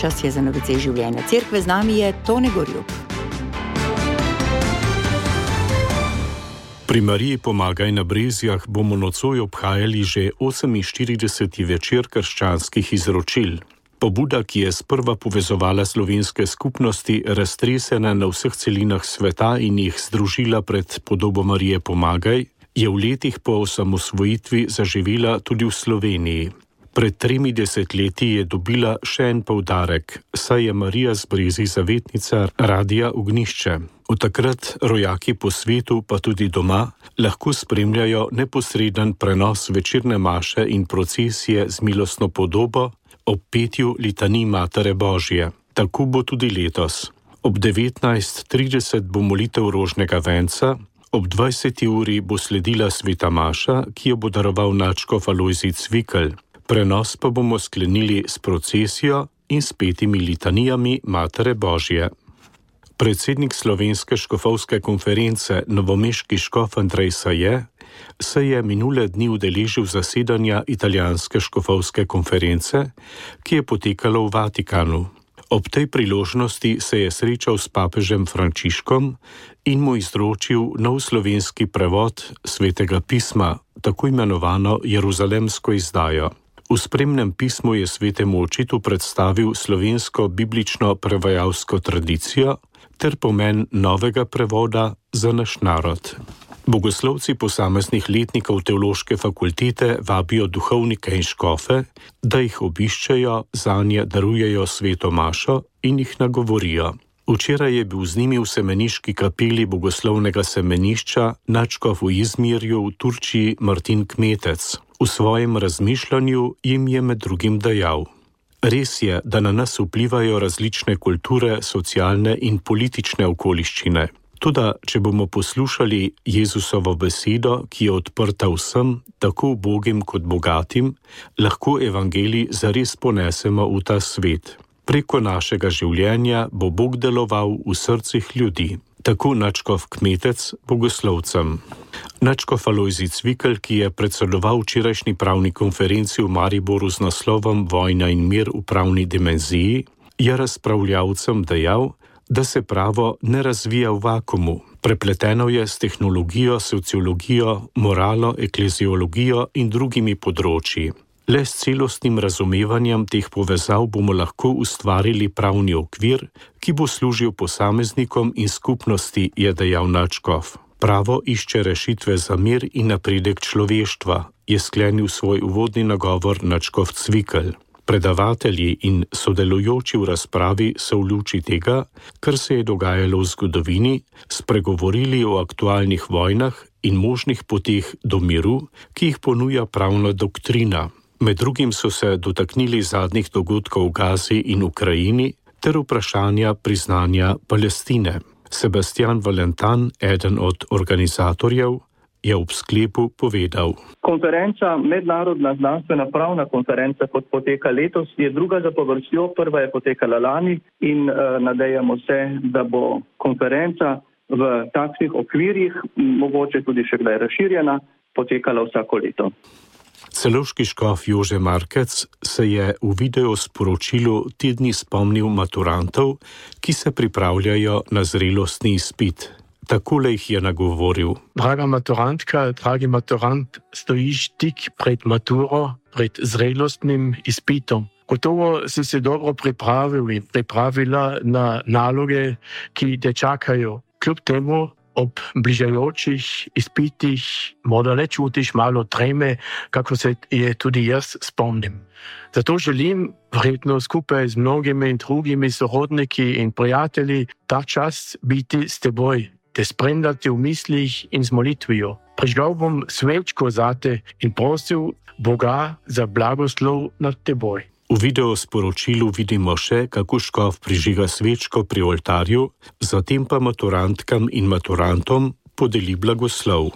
Čas je za novice življenja cerkve, z nami je Tone Gorjup. Pri Mariji Pomagaj na Brezjah bomo nocoj obhajali že 48. večer krščanskih izročil. Pobuda, ki je sprva povezovala slovenske skupnosti, raztresena na vseh celinah sveta in jih združila pred podobo Marije Pomagaj, je v letih po osamosvojitvi zaživela tudi v Sloveniji. Pred 30 leti je dobila še en poudarek, saj je Marija z Brezij zavetnica Radia Ognjišče. Od takrat rojaki po svetu, pa tudi doma, lahko spremljajo neposreden prenos večerne maše in procesije z milostno podobo ob petju litanij Matere Božje. Tako bo tudi letos. Ob 19:30 bo molitev rožnega venca, ob 20. uri bo sledila sveta maša, ki jo bo daroval nadškof Alojzij Cvikl. Prenos pa bomo sklenili s procesijo in s petimi litanijami Matere Božje. Predsednik Slovenske škofovske konference, novomeški škof Andrej Saje, se je minule dni udeležil zasedanja italijanske škofovske konference, ki je potekalo v Vatikanu. Ob tej priložnosti se je srečal s papežem Frančiškom in mu izročil nov slovenski prevod Svetega pisma, tako imenovano jeruzalemsko izdajo. V spremnem pismu je svetemu očitu predstavil slovensko biblično prevajalsko tradicijo ter pomen novega prevoda za naš narod. Bogoslovci posameznih letnikov teološke fakultete vabijo duhovnike in škofe, da jih obiščejo, zanje darujejo sveto mašo in jih nagovorijo. Včeraj je bil z njimi v semeniški kapeli bogoslovnega semenišča nadškof v Izmirju v Turčiji Martin Kmetec. V svojem razmišljanju jim je med drugim dejal: res je, da na nas vplivajo različne kulture, socialne in politične okoliščine. Toda, če bomo poslušali Jezusovo besedo, ki je odprta vsem, tako ubogim kot bogatim, lahko evangelij zares ponesemo v ta svet. Preko našega življenja bo Bog deloval v srcih ljudi. Tako nadškof Kmetec bogoslovcem. Nadškof Alojzij Cvikl, ki je predsedoval včerajšnji pravni konferenci v Mariboru z naslovom Vojna in mir v pravni dimenziji, je razpravljavcem dejal, da se pravo ne razvija v vakumu. Prepleteno je s tehnologijo, sociologijo, moralo, ekleziologijo in drugimi področji. Le s celostnim razumevanjem teh povezav bomo lahko ustvarili pravni okvir, ki bo služil posameznikom in skupnosti, je dejal nadškof. Pravo išče rešitve za mir in napredek človeštva, je sklenil svoj uvodni nagovor nadškof Cvikl. Predavatelji in sodelujoči v razpravi so v luči tega, kar se je dogajalo v zgodovini, spregovorili o aktualnih vojnah in možnih poteh do miru, ki jih ponuja pravna doktrina. Med drugim so se dotaknili zadnjih dogodkov v Gazi in Ukrajini ter vprašanja priznanja Palestine. Sebastian Valentan, eden od organizatorjev, je ob sklepu povedal: Konferenca, mednarodna znanstvena pravna konferenca, kot poteka letos, je druga zapovrstjo, prva je potekala lani in nadejamo se, da bo konferenca v takšnih okvirjih, mogoče tudi še kdaj razširjena, potekala vsako leto. Celovški škof Jože Markec se je v video sporočilu te dni spomnil maturantov, ki se pripravljajo na zrelostni izpit. Takole jih je nagovoril: Draga maturantka, dragi maturant, stojiš tik pred maturo, pred zrelostnim izpitom. Gotovo si se dobro pripravila na naloge, ki te čakajo. Kljub temu ob bližajočih izpitih morda ne čutiš malo treme, kako se je tudi jaz spomnim. Zato želim, verjetno skupaj z mnogimi drugimi sorodniki in prijatelji, ta čas biti s teboj, te spremljati v mislih in z molitvijo. Prižgal bom svečko zate in prosil Boga za blagoslov nad teboj. V video sporočilu vidimo še, kako škof prižiga svečko pri oltarju, zatem pa maturantkam in maturantom podeli blagoslov.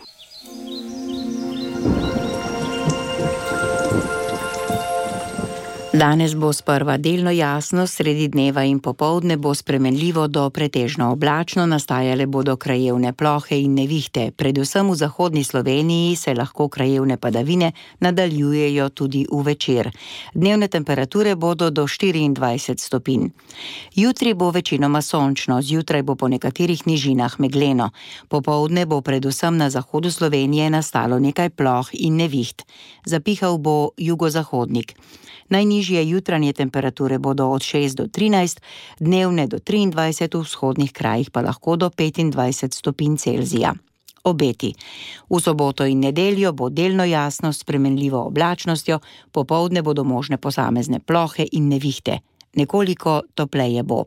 Danes bo sprva delno jasno, sredi dneva in popoldne bo spremenljivo do pretežno oblačno, nastajale bodo krajevne plohe in nevihte. Predvsem v zahodni Sloveniji se lahko krajevne padavine nadaljujejo tudi v večer. Dnevne temperature bodo do 24 stopinj. Jutri bo večinoma sončno, zjutraj bo po nekaterih nižinah megleno. Popoldne bo predvsem na zahodu Slovenije nastalo nekaj ploh in neviht. Zapihal bo jugozahodnik. Najnižje jutranje temperature bodo od 6 do 13, dnevne do 23, v vzhodnih krajih pa lahko do 25 stopinj Celzija. Obeti. V soboto in nedeljo bo delno jasno s spremenljivo oblačnostjo, popoldne bodo možne posamezne plohe in nevihte. Nekoliko topleje bo.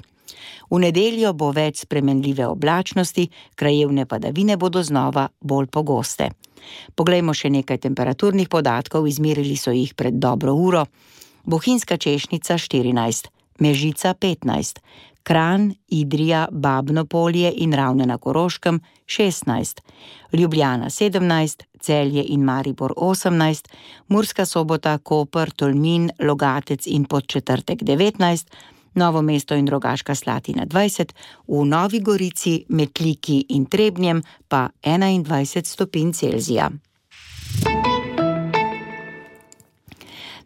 V nedeljo bo več spremenljive oblačnosti, krajevne padavine bodo znova bolj pogoste. Poglejmo še nekaj temperaturnih podatkov, izmerili so jih pred dobro uro. Bohinjska Češnica 14, Mežica 15, Kranj, Idrija, Babno Polje in Ravne na Koroškem 16, Ljubljana 17, Celje in Maribor 18, Murska Sobota, Koper, Tolmin, Logatec in Podčetrtek 19, Novo mesto in Rogaška Slatina 20, v Novi Gorici, Metliki in Trebnjem pa 21 stopinj Celzija.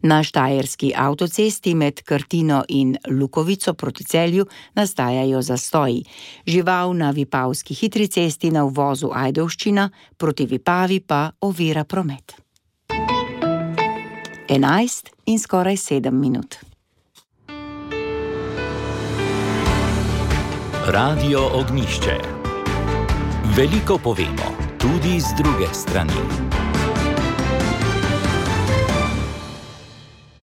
Na štajerski avtocesti med Krtino in Lukovico proti Celju nastajajo zastoji. Žival na vipavski hitri cesti na uvozu Ajdovščina, proti Vipavi pa ovira promet. 11 in skoraj 7 minut. Radio Ognjišče. Veliko povemo, tudi z druge strani.